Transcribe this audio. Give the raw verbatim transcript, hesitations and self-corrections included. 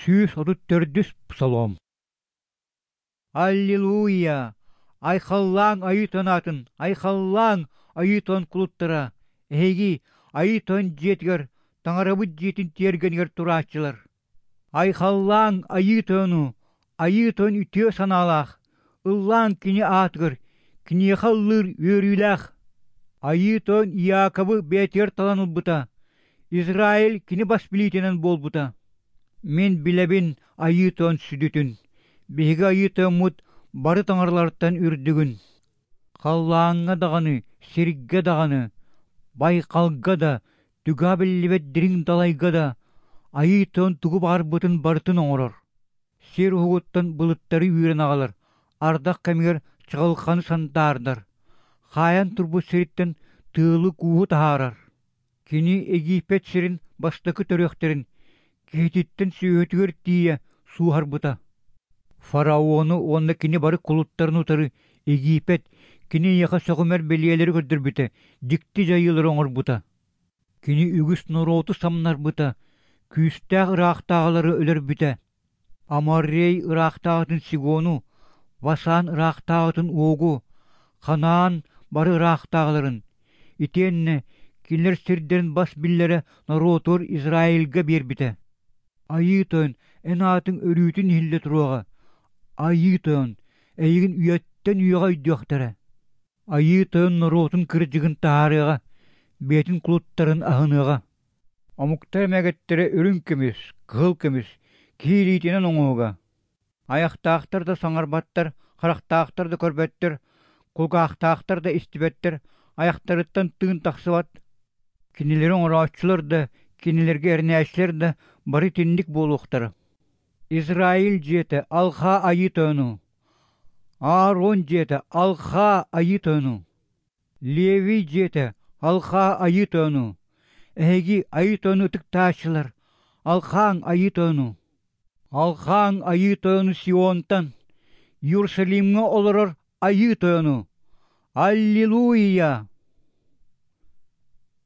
Сүүс отут төрдүс псалом. Аллилуйя! Айхаллааҥ Айыы Тойон аатын, айхаллааҥ Айыы Тойон кулуттара, эһиги Айыы Тойон дьиэтигэр, Таҥарабыт дьиэтин тиэргэнигэр турааччылар. Айхаллааҥ Айыы Тойону, Айыы Тойон үтүө санаалаах, ыллааҥ Кини аатыгар, Киниэхэ ыллыыр үөрүүлээх. Айыы Тойон Иаковы бэйэтигэр талан ылбыта, Израиль кини бас билиитинэн буолбута. Мин билэбин Айыы Тойон сүдүтүн, биһиги Айыы Тойоммут бары таҥаралартан үрдүгүн. Халлааҥҥа даҕаны, сиргэ даҕаны, байҕалга да, түгэҕэ биллибэт дириҥ далайга да Айыы Тойон тугу баҕарбытын барытын оҥорор. Сир уһугуттан былыттары үүрэн аҕалар, ардах кэмигэр чаҕылханы сандаардар, хаайан турбут сириттэн тыалы-кууһу таһаарар. Кини Египет сирин бастакы төрүөхтэрин киһититтэн сүөһүтүгэр тиийэ сууһарбыта. Фараону уонна кини бары кулуттарын утары Египет кини эйиэхэ сөҕүмэр бэлиэлэри көрдөрбүтэ, дьикти дьайыылары оҥорбута. Кини үгүс норуоту самнарбыта, күүстээх ыраахтааҕылары өлөрбүтэ. Аморрей ыраахтааҕытын Сигону, Васан ыраахтааҕытын Огу, Ханаан бары ыраахтааҕыларын, итиэннэ кинилэр сирдэрин бас биллэрэ норуотугар Израильга биэрбитэ. Айыы Тойон, эн аатыҥ өрүүтүн иһиллэ туруоҕа. Айыы Тойон, эйигин үйэттэн үйэҕэ өйдүөхтэрэ. Айыы Тойон норуотун кырдьыгын таһаарыаҕа, бэйэтин кулуттарын аһыныаҕа. Омуктар эмэгэттэрэ үрүҥ көмүс, кыһыл көмүс, киһи илиитинэн оҥоһуга. Айахтаахтар да саҥарбаттар, харахтаахтар да көрбөттөр, кулгаахтаахтар да истибэттэр, айахтарыттан тыын тахсыбат. Кинилэри оҥорооччулар да, кинилэргэ эрэнээччилэр да бары итинник буолуохтара. Израиль дьиэтэ алҕаа Айыы Тойону, Аарон дьиэтэ алҕаа Айыы Тойону, Левий дьиэтэ алҕаа Айыы Тойону, эһиги Айыы Тойону ытыктааччылар, алҕааҥ Айыы Тойону. Алҕааҥ Айыы Тойону Сионтан, Иерусалимҥа олорор Айыы Тойону. Аллилуйя!